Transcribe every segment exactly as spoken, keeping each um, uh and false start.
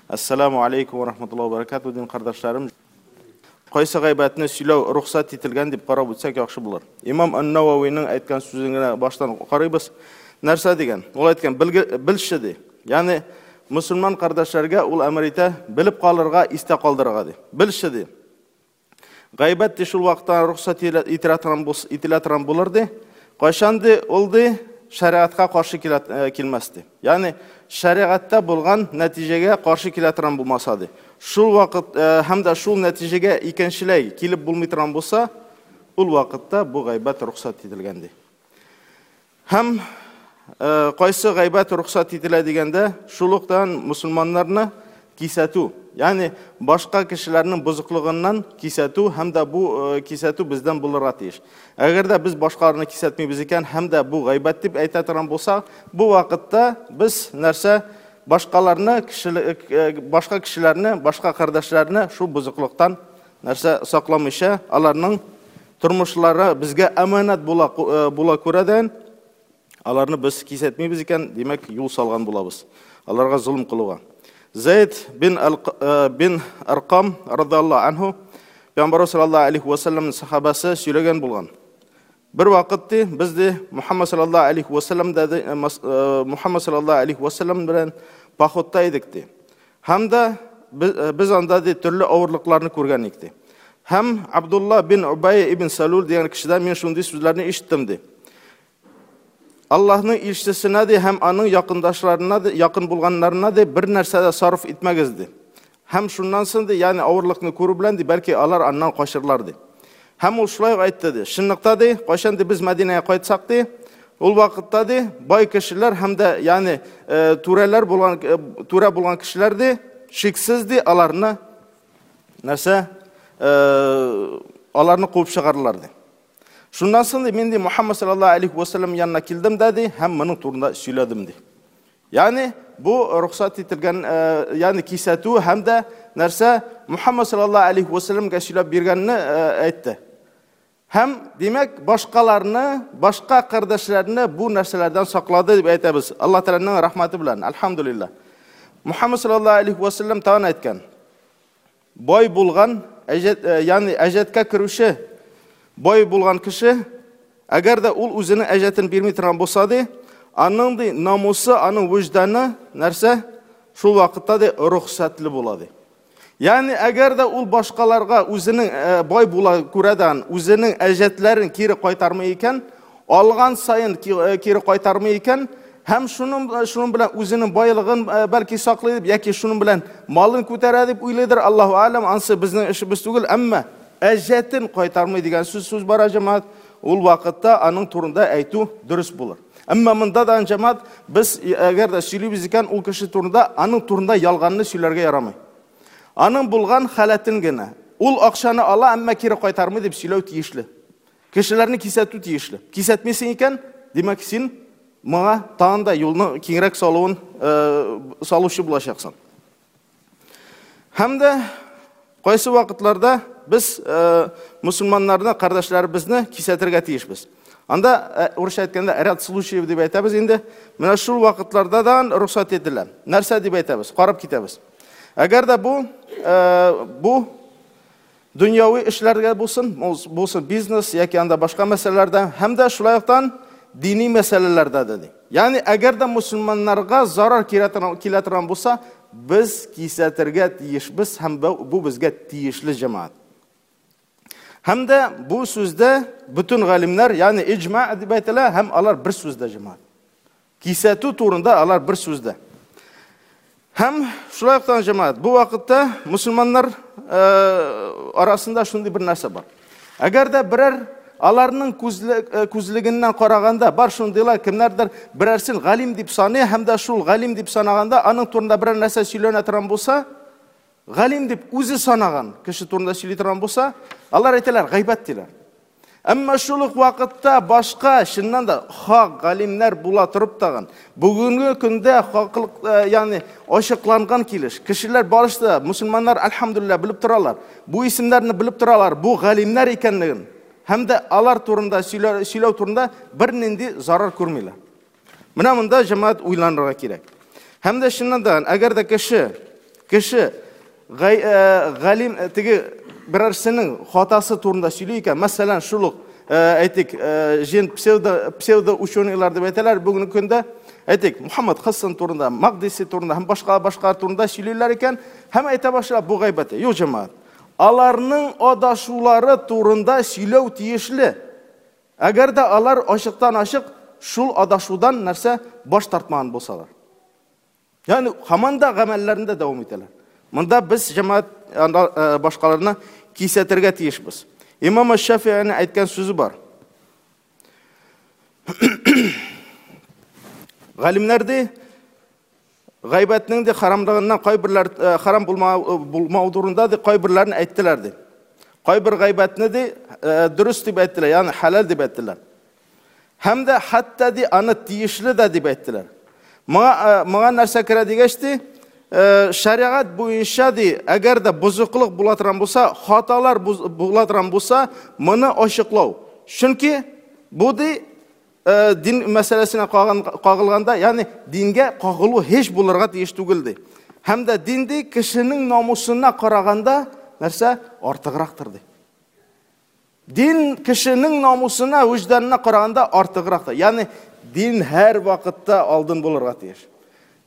Ассаламу алейкум ва рахматуллахи ва баракатуһ, дин кардәшләрем. Кайсы гайбәтне сөйләү рөхсәт ителгән дип карап үтсәк яхшы булыр. Имам Ан-Нававиның әйткән сүзен генә баштан карыйбыз. Нәрсә дигән? Ул әйткән, белше ди. Ягъни мусульман кардәшләргә ул әмер итә, белеп калырга, истә калдырырга ди. Белше ди. Гайбәт ди шул вакытта рөхсәт ителә торган булс, ителә торган булыр ди. Кайчан ди ул ди шәриатка каршы килмәс ди. Ягъни шәриатта булган нәтиҗәгә каршы килә торган булмаса ди. Шул вакыт һәм дә шул нәтиҗәгә икенчеләй килеп булмый торган булса, ул вакытта бу гайбәт рөхсәт ителгән ди. Һәм кайсы гайбәт рөхсәт ителә дигәндә, шул уктан мусульманнарны кисәтү, ягъни башка кешеләрнең бозыклыгыннан кисәтү һәм дә бу кисәтү бездән булырга тиеш. Әгәр дә без башкаларны кисәтмибез икән һәм дә бу гайбәт дип әйтә торган булсак, бу вакытта без нәрсә башкаларны, башка кешеләрне, башка кардәшләрне шул бозыклыктан нәрсә сакламыйча, аларның тормышлары безгә әманәт була, була күрәдән, аларны без кисәтмибез икән, димәк, юл салган булабыз. Аларга золым кылуга. Зайд бин бин Аркам радиаллаһу анху Пәйгамбәр саллаллаһу алейхи ва саллям сахабасы сөйләгән булган. Бер вакыт ди, без ди Мухаммад саллаллаһу алейхи ва саллям да Мухаммад саллаллаһу алейхи ва саллям белән походта идек ди. Һәм дә без анда ди төрле авырлыкларны күргән идек ди. Һәм Абдулла бин Убай ибн Салул дигән кешедән мин шундый сүзләрне ишеттем ди. Аллаһның илчесенә ди һәм аның якындашларына ди, якын булганнарына ди бер нәрсә дә сарыф итмәгез ди. Һәм шуннан соң ди, ягъни авырлыкны күрү белән ди, бәлки алар аннан качырлар ди. Һәм ул шулай ук әйтте ди. Чынлыкта ди, кайчан ди без Мәдинәгә кайтсак ди, ул вакытта ди бай кешеләр һәм дә, ягъни түрәләр булган, түрә булган кешеләр ди, шиксез ди аларны нәрсә, аларны куып чыгарлар ди. Шуннан соң ди, мин ди Мухаммад саллаллаһу алейхи ва саллям янына килдем дә ди, һәм моның турында сөйләдем ди. Ягъни бу рөхсәт ителгән, ягъни кисәтү һәм дә нәрсә Мухаммад саллаллаһу алейхи ва саллямга сөйләп биргәнне әйтте. Һәм димәк, башкаларны, башка кардәшләрне бу нәрсәләрдән саклады дип әйтәбез. Аллаһ Тәгаләнең рәхмәте белән, альхамдулилла. Мухаммад саллаллаһу алейхи ва саллям тагын әйткән. Бай булган, әҗәт, ягъни әҗәткә керүче бай булган кеше, әгәр дә ул үзенең әҗәтен бирми торган булса ди, аның ди намусы, аның вөҗданы нәрсә шул вакытта ди рөхсәтле була ди. Ягъни әгәр дә ул башкаларга үзенең бай була күрәдән үзенең әҗәтләрен кире кайтармый икән, алган саен кире кайтармый икән, һәм шуның, шуның белән үзенең байлыгын бәлки саклый дип, яки шуның белән малын күтәрә дип уйлыйдыр, Аллаһу алам, ансы безнең эшебез түгел, әмма әҗәтен кайтармый дигән сүз сүз бара җәмәгать, ул вакытта аның турында әйтү дөрес булыр. Әмма монда да җәмәгать без әгәр дә сөйлибез икән, ул кеше турында, аның турында ялганны сөйләргә ярамый. Аның булган халәтен генә. Ул акчаны ала, әмма кире кайтармый дип сөйләү тиешле. Кешеләрне кисәтү тиешле. Кисәтмисең икән, димәк син моңа тагын да юлны киңрәк салуын, салучы булачаксың. Һәм дә кайсы вакытларда без мусульманнарны, кардәшләребезне кисәтергә тиешбез. Анда урысча әйткәндә ряд случаев дип әйтәбез инде. Менә шул вакытларда да рөхсәт ителә. Нәрсә дип әйтәбез? Карап китәбез. Әгәр дә бу, бу дөньяви эшләргә булсын, булсын бизнес яки анда башка мәсьәләләрдә, һәм дә шулай уктан дини мәсьәләләрдә дә ди. Ягъни әгәр дә мусульманнарга зарар килә торган булса, без кисәтергә тиешбез һәм бу безгә тиешле җәмәгать. Һәм дә бу сүздә бөтен галимнәр, ягъни иҗма дип әйтелә, һәм алар бер сүздә җәмәгать. Кисәтү турында алар бер сүздә. Һәм шулай ук җәмәгать, бу вакытта мусульманнар арасында шундый бер нәрсә бар. Әгәр дә берәр аларның күзлегеннән караганда бар шундыйлар, кемнәрдер берәрсен галим дип саный, һәм дә шул галим дип санаганда аның турында берәр нәрсә сөйләнә торган булса, галим дип үзе санаган кеше турында сөйли торган булса, алар әйтәләр, гайбәт диләр. Әмма шул ук вакытта башка чыннан да хак галимнәр була торып тагын, бүгенге көндә хаклык, ягъни ачыкланган килеш, кешеләр барысы да, мусульманнар альхамдулилла белеп торалар. Бу исемнәрне белеп торалар, бу галимнәр икәнлеген. Һәм дә алар турында сөйләү, сөйләү турында бернинди зарар күрмиләр. Менә монда җәмәгать уйланырга кирәк. Һәм дә чыннан да, әгәр дә кеше кеше галим теге берәрсенең хатасы турында сөйли икән, мәсәлән, шул ук әйтик, җен псевдо псевдо ученыйлар дип әйтәләр бүгенге көндә, әйтик, Мухаммад Хасан турында, Магдиси турында һәм башка башка турында сөйлиләр икән, һәм әйтә башлап бу гайбәт. Юк, җәмәгать. Аларның адашулары турында сөйләү тиешле. Әгәр дә алар ачыктан ачык шул адашудан нәрсә баш тартмаган булсалар. Ягъни һаман да гамәлләрендә дәвам итәләр. Монда без җәмәгать башкаларны кисәтергә тиешбез. Имам Шафииның әйткән сүзе бар. Галимнәр ди, гайбәтнең дә харамлыгыннан кайберләр харам булмау турында ди, кайберләрен әйттеләр ди. Кайбер гайбәтне ди дөрес дип әйттеләр, ягъни хәләл дип әйттеләр. Һәм дә хәтта ди аны тиешле дә дип әйттеләр. Моңа моңа нәрсә керә дигәч ди, шариғат буенча ди, әгәр дә бозыклык була торган булса, хаталар була торган булса, моны ачыклау. Чөнки бу ди дин мәсьәләсенә кагылганда, ягъни дингә кагылу һич булырга тиеш түгел ди. Һәм дә дин ди кешенең намусына караганда нәрсә артыграктыр ди. Дин кешенең намусына, вөҗданына караганда артыграктыр. Ягъни дин һәр вакытта алдын булырга тиеш.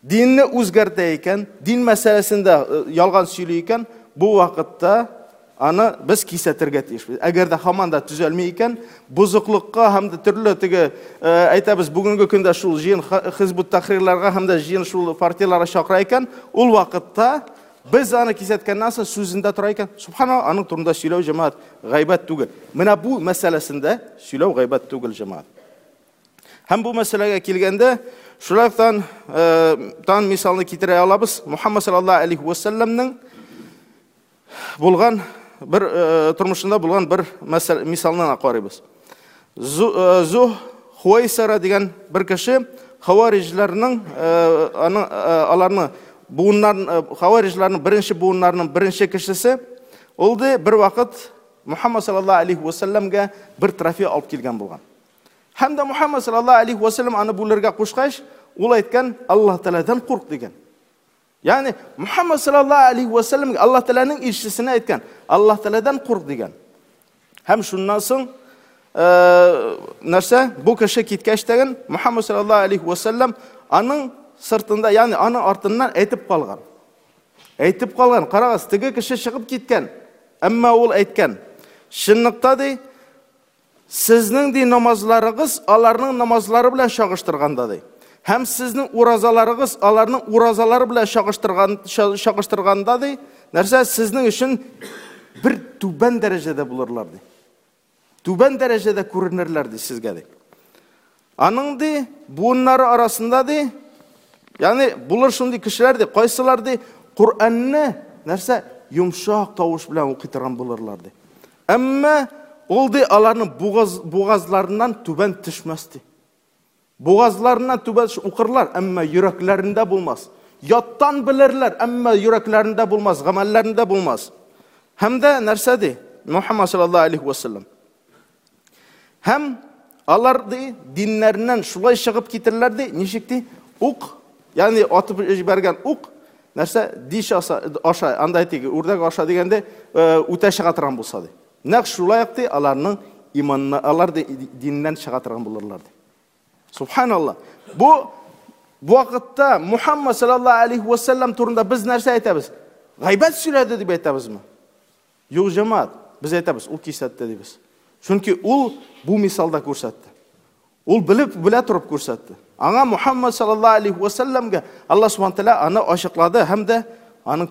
Динне үзгәртә икән, дин мәсьәләсендә ялган сөйли икән, бу вакытта аны без кисәтергә тиешбез. Әгәр дә һаман да төзәлми икән, бозыклыкка һәм дә төрле теге әйтәбез, бүгенге көндә шул җыен Хизбут Тахрирларга һәм дә җыен шул партияларга чакыра икән, ул вакытта без аны кисәткәннән соң сүзендә тора икән, субханалла, аның турында сөйләү җәмәгать гайбәт түгел. Менә бу мәсьәләсендә сөйләү гайбәт түгел җәмәгать. Һәм бу мәсьәләгә килгәндә, шулай тан мисалны китерә алабыз. Мухаммад саллаллаһу алейхи ва салламның булган бер тормышында булган бер мисалны карыйбыз. Зуh Хуайсара дигән бер кеше хавариҗләрнең аның аларны буыннарын хавариҗләрнең беренче буыннарының беренче кешесе ул ди бер вакыт Мухаммад саллаллаһу алейхи ва салламга бер трофей алып килгән булган. Һәм дә Мухаммад саллаллаһу алейхи ва саллам аны бүлергә кушкач, ул әйткән, Аллаһ Тәгаләдән курк дигән. Ягъни Мухаммад саллаллаһу алейхи ва саллам Аллаһ Тәгаләнең илчесенә әйткән, Аллаһ Тәгаләдән курк дигән. Һәм шуннан соң нәрсә, бу кеше киткәч тәген Мухаммад саллаллаһу алейхи ва саллам аның сыртында, ягъни аның артыннан әйтеп калган. Әйтеп калган, карагыз, теге кеше чыгып киткән. Әмма ул әйткән, чынлыкта ди, сезнең ди намазларыгыз аларның намазлары белән чагыштырганда ди. Һәм сезнең уразаларыгыз аларның уразалары белән чагыштырган чагыштырганда ди, нәрсә сезнең өчен бер түбән дәрәҗәдә булырлар ди. Түбән дәрәҗәдә күренерләр ди сезгә ди. Аның ди буыннары арасында ди, ягъни булыр шундый кешеләр ди, кайсылар ди Коръәнне нәрсә йомшак тавыш белән укый торган булырлар ди. Әмма ул ди аларның бугаз, бугазларыннан түбән төшмәс ди. Бугазларыннан түбән укырлар, әмма йөрәкләрендә булмас. Яттан белерләр, әмма йөрәкләрендә булмас, гамәлләрендә булмас. Һәм дә нәрсә ди? Мухаммад саллаллаһу алейхи ва саллям. Һәм алар ди диннәреннән шулай чыгып китерләр ди, ничек ди? Ук, ягъни атып җибәргән ук, нәрсә диш аша, аша, анда әйтик, үрдәк аша дигәндә үтә чыга торган булса ди. Нәкъ шулай ди аларның иманына, алар ди диннән чыга торган булырлар ди. Субханалла. Бу бу вакытта Мухаммад саллаллаһу алейхи ва саллям турында без нәрсә әйтәбез? Гайбәт сөйләде дип әйтәбезме? Юк, җәмәгать, без әйтәбез, ул кисәтте дибез. Чөнки ул бу мисалда күрсәтте. Ул белеп, белә торып күрсәтте. Аңа Мухаммад саллаллаһу алейхи ва саллямга Аллаһ субхана тааля аны ачыклады һәм дә аның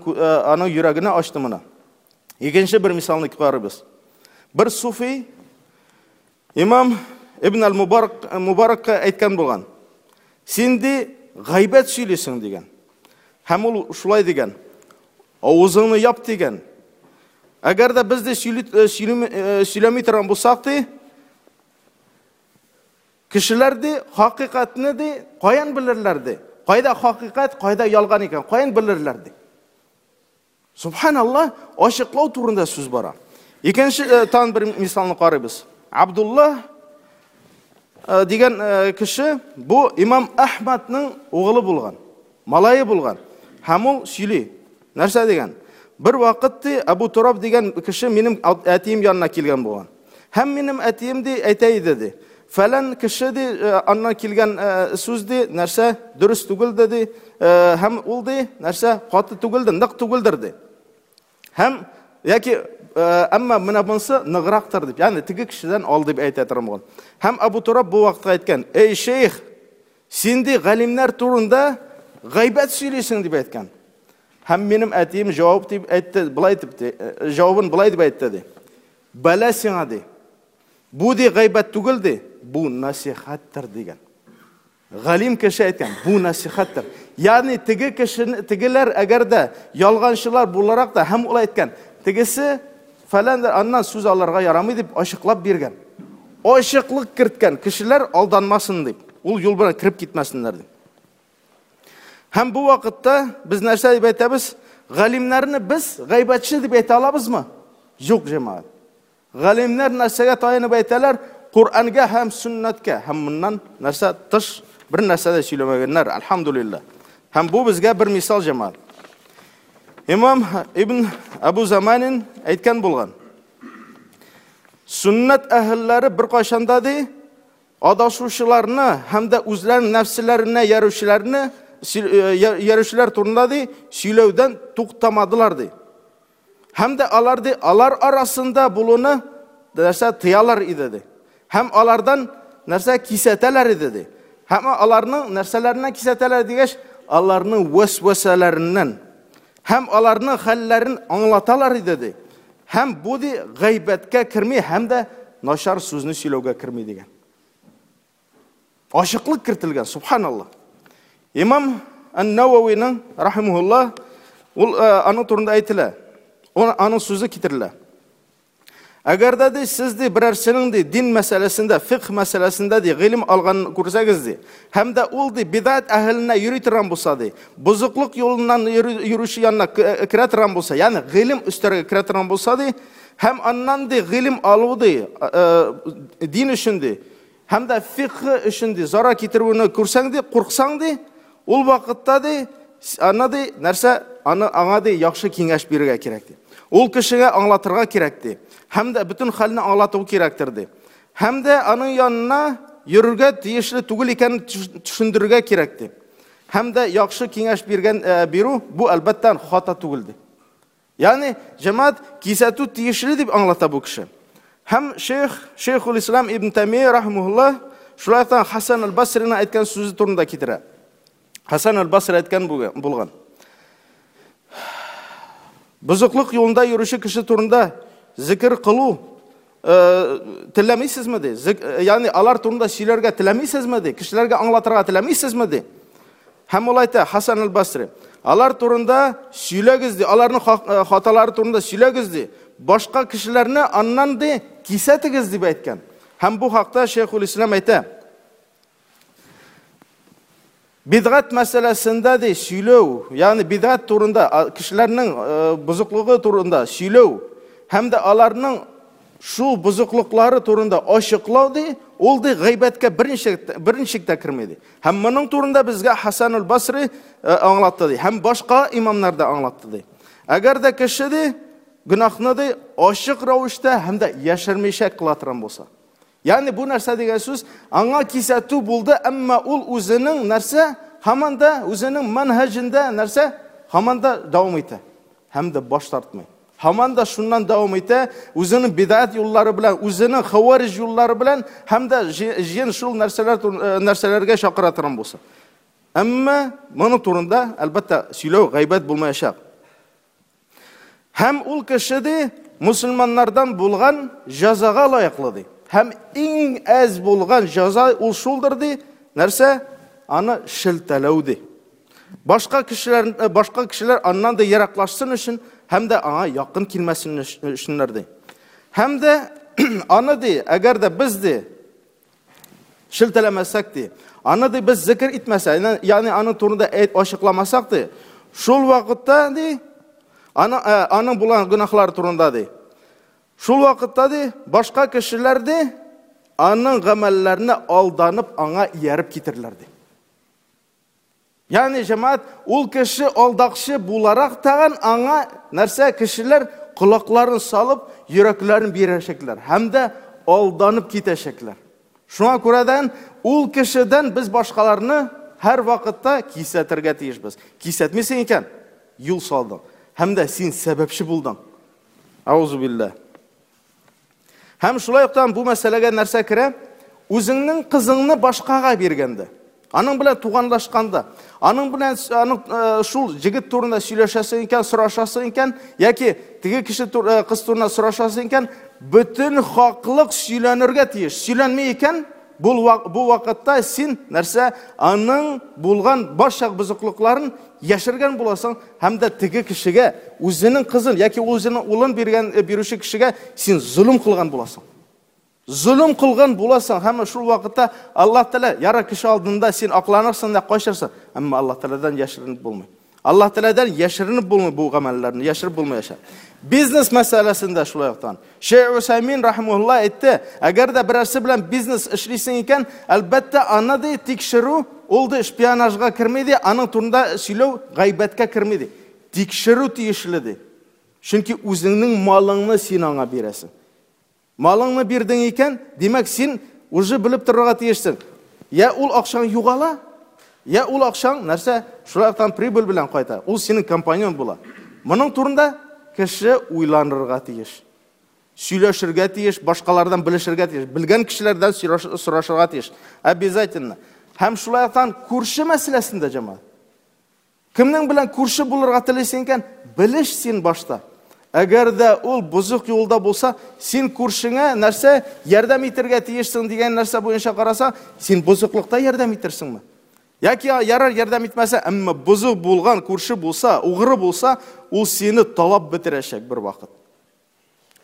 аның йөрәгенә ачты моны. Икенче бер мисалны карыйбыз. Бер суфи имам Ибн ал-Мубарак Мубаракка әйткән булган. Син ди гайбәт сөйлисең дигән. Һәм ул шулай дигән. Авызыңны яп дигән. Әгәр дә без дә сөйли сөйләми торган булсак ди, кешеләр ди хакыйкатьне ди каян белерләр ди? Кайда хакыйкать, кайда ялган икән, каян белерләр ди? Субханалла, ачыклау турында сүз бара. Икенче тан бер мисалны карыйбыз. Абдулла дигән кеше бу имам Әхмәднең угылы булган, малае булган. Һәм ул сөйли. Нәрсә дигән? Бер вакыт ди Абу Тураб дигән кеше минем әтием янына килгән булган. Һәм минем әтием ди әйтә иде ди. Фәлән кеше ди аннан килгән сүз ди нәрсә дөрес түгелде ди, һәм ул ди нәрсә каты түгелде, нык түгелдер ди. Һәм яки әмма менә монысы ныграктыр дип, ягъни теге кешедән ал дип әйтә торган булган. Һәм Абу Тураб бу вакытта әйткән: "Эй шейх, син ди галимнәр турында гайбәт сөйлисең" дип әйткән. Һәм минем әтием җавап дип әйтте, былай дип, җавабын былай дип әйтте ди. Бәла сиңа ди. Бу ди гайбәт түгел ди, бу насихаттыр дигән. Галим кеше әйткән, бу насихаттыр. Ягъни теге кешене, тегеләр әгәр дә ялганчылар буларак та һәм ул әйткән, тегесе фәлән аннан сүз алырга ярамый дип ачыклап биргән. Ачыклык керткән, кешеләр алданмасын дип, ул юл белән кереп китмәсеннәр дип. Һәм бу вакытта без нәрсә дип әйтәбез? Галимнәрне без гайбәтче дип әйтә алабызмы? Юк, җәмәгать. Галимнәр нәрсәгә таянып әйтәләр? Коръәнгә һәм сөннәткә. Һәм моннан нәрсә тыш бер нәрсә дә сөйләмәгәннәр, альхамдулилла. Һәм бу безгә бер мисал, җәмәгать. Имам Ибн Абу Заманин әйткән булган. Сөннәт әһелләре бер кайчанда ди адашучыларны һәм дә үзләренең нәфселәренә ярүчеләрне ярүчеләр турында ди сөйләүдән туктамадылар ди. Һәм дә алар ди алар арасында булуны нәрсә тыялар иде ди. Һәм алардан нәрсә кисәтәләр иде ди. Һәм аларның нәрсәләреннән кисәтәләр дигәч, аларның вәсвәсәләреннән һәм аларның хәлләрен аңлаталар иде ди. Һәм бу ди гайбәткә керми һәм дә начар сүзне сөйләүгә керми дигән. Ачыклык кертелгән, субханаллаһ. Имам Ан-Нававиның рахимахуллаһ ул аның турында әйтелә. Аның сүзе китерелә. Әгәр дә ди сез ди берәрсенең ди дин мәсьәләсендә, фикх мәсьәләсендә ди гыйлем алганын күрсәгез ди, һәм дә ул ди бидат әһеленә йөри торган булса ди, бозыклык юлыннан йөрүче янына керә торган булса, ягъни гыйлем өстәргә керә торган булса ди, һәм аннан ди гыйлем алу ди дин өчен ди, һәм дә фикх өчен ди зарар китерүне күрсәң ди, курксаң ди, ул вакытта ди аны ди нәрсә аны аңа ди яхшы киңәш бирергә кирәк ди. Ул кешегә аңлатырга кирәк ди. Һәм дә бөтен хәлне аңлату кирәктер ди. Һәм дә аның янына йөрергә тиешле түгел икәнен төшендерергә кирәк ди. Һәм дә яхшы киңәш биргән бирү бу әлбәттә хата түгел ди. Ягъни җәмәгать кисәтү тиешле дип аңлата бу кеше. Һәм шейх Шейхул Ислам Ибн Таймия рахимахуллаһ шулай ук Хасан аль-Басриның әйткән сүзе турында китерә. Хасан аль-Басри әйткән булган. Бозыклык юлында йөрүче кеше турында зикр кылу теләмисезме ди? Ягъни алар турында сөйләргә теләмисезме ди? Кешеләргә аңлатырга теләмисезме ди? Һәм ул әйтә Хасан аль-Басри, алар турында сөйләгез ди, аларның хаталары турында сөйләгез ди. Башка кешеләрне аннан ди кисәтегез дип әйткән. Һәм бу хакта Шейхул Ислам әйтә. Бидгат мәсьәләсендә ди сөйләү, ягъни бидгат турында, кешеләрнең бозыклыгы турында сөйләү һәм дә аларның шул бозыклыклары турында ачыклау ди, ул ди гайбәткә берничек берничек тә керми ди. Һәм моның турында безгә Хасан аль-Басри аңлатты ди, һәм башка имамнар да аңлатты ди. Әгәр дә кеше ди гөнаһны ди ачык рәвештә һәм дә яшермичә кыла торган булса. Ягъни бу нәрсә дигән сүз, аңа кисәтү булды, әмма ул үзенең нәрсә, һаман да үзенең манһаҗында нәрсә, һаман да дәвам итә. Һәм дә баш тартмый. Һаман да шуннан дәвам итә, үзенең бидат юллары белән, үзенең хаварij юллары белән һәм дә җен шул нәрсәләр нәрсәләргә чакыра торган булса. Әмма моның турында әлбәттә сөйләү гайбәт булмаячак. Һәм ул кеше ди мусульманнардан булган җәзага лаеклы ди. Һәм иң әз булган җәза ул шулдыр ди, нәрсә? Аны шелтәләү ди. Башка кешеләр, башка кешеләр аннан да ераклашсын өчен һәм дә аңа якын килмәсен өченнәр ди. Һәм дә аны ди, әгәр дә без ди шелтәләмәсәк ди, аны ди без зикр итмәсәк, ягъни аның турында әйт ачыкламасак ди, шул вакытта ди, аны аның булган гөнаһлары турында ди. Шул вакытта ди, башка кешеләр ди, аның гамәлләренә алданып аңа ияреп китерләр ди. Ягъни җәмәгать, ул кеше алдакчы буларак тагын аңа нәрсә кешеләр колакларын салып, йөрәкләрен бирәчәкләр һәм дә алданып китәчәкләр. Шуңа күрәдән ул кешедән без башкаларны һәр вакытта кисәтергә тиешбез. Кисәтмисең икән, юл салдың һәм дә син сәбәпче булдың. Аузу билла. Һәм шулай ук бу мәсьәләгә нәрсә керә? Үзеңнең кызыңны башкага биргәндә, аның белән туганлашканда, аның белән аның шул җегет турында сөйләшәсең икән, сорашасың икән, яки теге кеше кыз турында сорашасың икән, бөтен хаклык сөйләнергә тиеш. Сөйләнми икән, бу бу вакытта син нәрсә аның булган барча бозыклыкларын яшергән буласың һәм дә теге кешегә үзенең кызын яки үзенең улын биргән бирүче кешегә син золым кылган буласың. Золым кылган буласың һәм шул вакытта Аллаһ Тәгалә яра кеше алдында син акланырсың да качырсың, әмма Аллаһ Тәгаләдән яшеренеп булмый. Аллаһ Тәгаләдән яшеренеп булмый бу гамәлләрне, яшереп булмаячак. Бизнес мәсьәләсендә шулай уктан. Шейх Усаймин рахимаһулла әйтте, әгәр дә берәрсе белән бизнес эшлисең икән, әлбәттә аны ди тикшерү, ул ди шпионажга керми ди, аның турында сөйләү гайбәткә керми ди. Тикшерү тиешле ди. Чөнки үзеңнең малыңны син аңа бирәсең. Малыңны бирдең икән, димәк син уже белеп торырга тиешсең. Я ул акчаң югала, я ул акчаң нәрсә шулай уктан прибыль белән кайта. Ул синең компаньон була. Моның турында кеше уйланырга тиеш. Сөйләшергә тиеш, башкалардан белешергә тиеш, белгән кешеләрдән сорашырга тиеш. Обязательно. Һәм шулай уктан күрше мәсьәләсендә җәмәгать. Кемнең белән күрше булырга телисең икән, белеш син башта. Әгәр дә ул бозык юлда булса, син күршеңә нәрсә ярдәм итәргә тиешсең дигән нәрсә буенча караса, син бозыклыкта ярдәм итерсеңме? Яки ярар ярдәм итмәсә, әмма бозык булган күрше булса, угры булса, ул сине талап бетерәчәк бер вакыт.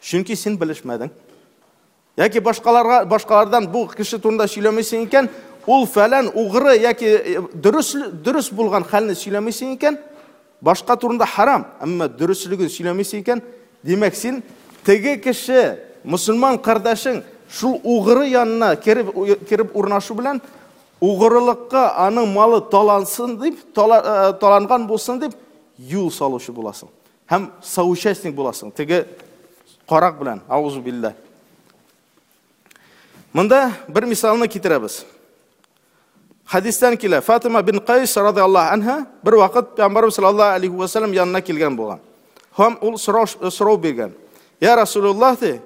Чөнки син белешмәдең. Яки башкаларга, башкалардан бу кеше турында сөйләмисең икән, ул фәлән угры яки дөрес дөрес булган хәлне сөйләмисең икән, башка турында харам, әмма дөреслеген сөйләмисең икән, димәк син теге кеше, мусульман кардәшең шул угры янына кереп кереп урнашу белән угрылыкка аның малы талансын дип, таланган булсын дип юл салучы буласың. Һәм соучастник буласың теге карак белән, аузу билла. Монда бер мисалны китерәбез. Хадистән килә, Фатима бин Кайс радиаллаһу анха бер вакыт Пәйгамбәрбез саллаллаһу алейхи ва саллям янына килгән булган. Һәм ул сорау сорау биргән. Я Расулуллаһ ди,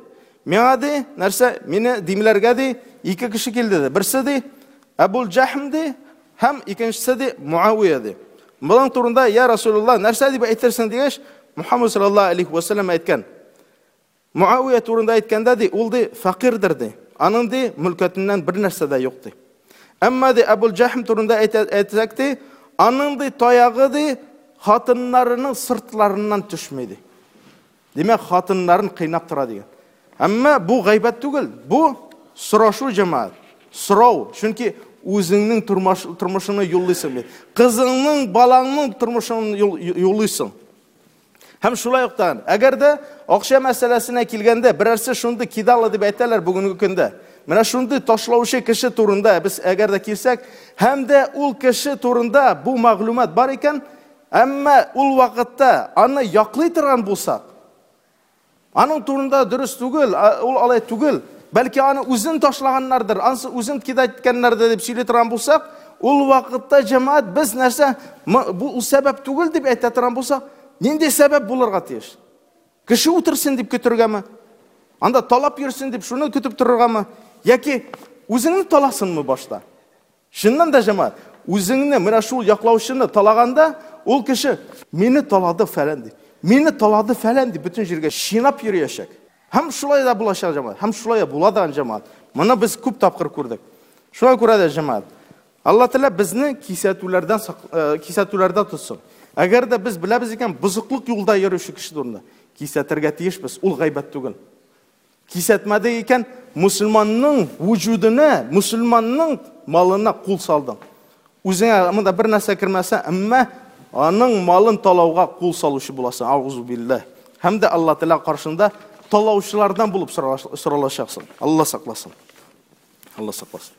миңа ди, нәрсә, мине димләргә ди, ике кеше килде ди. Берсе ди Әбул Җахм ди, һәм икенчесе ди Муавия ди. Моның турында я Расулуллаһ нәрсә дип әйтерсең дигәч, Мухаммад саллаллаһу алейхи ва саллям әйткән. Муавия турында әйткәндә ди, ул ди фәкыйрдер ди. Аның ди мөлкәтеннән бер нәрсә дә юк ди. Әмма ди Әбул Җахм турында әйтсәк ди, аның ди таягы ди хатыннарының сыртларыннан төшми ди. Димәк, хатыннарын кыйнап тора дигән. Әмма бу гайбәт түгел, бу сорашу җәмәгать, сорау. Чөнки үзеңнең тормыш, тормышыңны юллыйсың бит. Кызыңның, балаңның тормышын юллыйсың. Һәм шулай уктан, әгәр дә акча мәсьәләсенә килгәндә, берәрсе шундый кидалы дип әйтәләр бүгенге көндә. Менә шундый ташлаучы кеше турында без әгәр дә килсәк, һәм дә ул кеше турында бу мәгълүмат бар икән, әмма ул вакытта аны яклый торган булсак, аның турында дөрес түгел, ул алай түгел, бәлки аны үзен ташлаганнардыр, ансы үзен кидать иткәннәрдер дип сөйли торган булсак, ул вакытта җәмәгать без нәрсә, бу ул сәбәп түгел дип әйтә торган булсак, нинди сәбәп булырга тиеш? Кеше утырсын дип көтергәме? Анда талап йөрсен дип шуны көтеп торыргамы? Яки үзеңне таласынмы башта? Чыннан да җәмәгать, үзеңне менә шул яклаучыны талаганда, ул кеше мине талады фәлән дип, мине талады фәлән дип бөтен җиргә чинап йөриячәк. Һәм шулай да булачак җәмәгать, һәм шулай була да җәмәгать. Моны без күп тапкыр күрдек. Шуңа күрә дә җәмәгать, Алла Тәгалә безне кисәтүләрдән кисәтүләрдә тотсын. Әгәр дә без беләбез икән, бозыклык юлда йөрүче кеше турында кисәтергә тиешбез, ул гайбәт түгел. Кисәтмәде икән, мусульманның вуҗудына, мусульманның малына кул салдың. Үзеңә монда бер нәрсә кермәсә, әмма аның малын талауга кул салучы буласың. Аузу биллаһ. Һәм дә Алла Тәгалә каршында талаучылардан булып соралачаксың. Алла сакласын. Алла сакласын.